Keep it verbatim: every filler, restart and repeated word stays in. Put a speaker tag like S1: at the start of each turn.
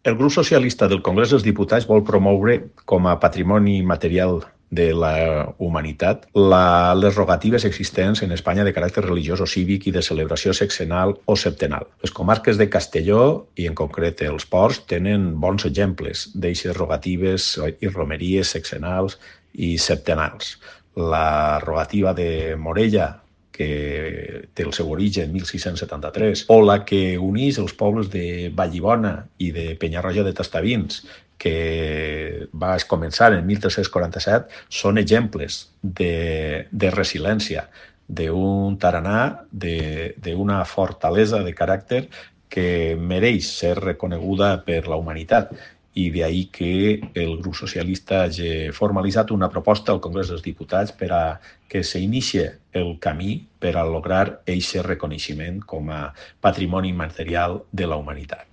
S1: El grup socialista del Congrés dels Diputats vol promoure com a patrimoni material de la humanitat la, les rogatives existents en Espanya de caràcter religiós o cívic i de celebració sexenal o septenal. Les comarques de Castelló, i en concret els Ports, tenen bons exemples d'eixes rogatives i romeries sexenals i septenals. La rogativa de Morella, que té el seu origen en mil sis-cents setanta-tres, o la que uneix els pobles de Vallibona i de Penyarroja de Tastavins, que va començar en mil tres-cents quaranta-set, són exemples de, de resiliència, d'un taranà, d'una fortalesa de caràcter que mereix ser reconeguda per la humanitat. I d'ahí que el grup socialista hagi formalitzat una proposta al Congrés dels Diputats per a que s'inicie el camí per a lograr aquest reconeixement com a patrimoni immaterial de la humanitat.